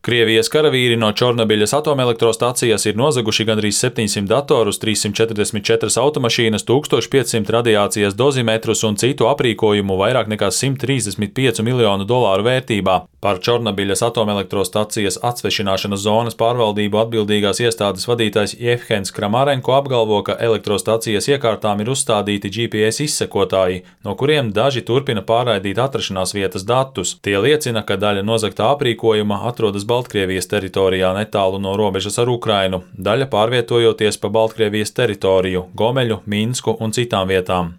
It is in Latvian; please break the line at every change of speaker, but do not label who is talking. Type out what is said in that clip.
Krievijas karavīri no Čornobiļas atomelektrostacijas ir nozaguši gandrīz 700 datorus, 344 automašīnas, 1500 radiācijas dozimetrus un citu aprīkojumu vairāk nekā $135 miljonu vērtībā. Par Čornobiļas atomelektrostacijas atsvešināšanas zonas pārvaldību atbildīgās iestādes vadītājs Jevhens Kramarenko apgalvo, ka elektrostacijas iekārtām ir uzstādīti GPS izsekotāji, no kuriem daži turpina pārraidīt atrašanās vietas datus. Tie liecina, ka daļa nozagtā aprīkojuma atrodas Baltkrievijas teritorijā netālu no robežas ar Ukrainu, daļa pārvietojoties pa Baltkrievijas teritoriju, Gomeļu, Minsku un citām vietām.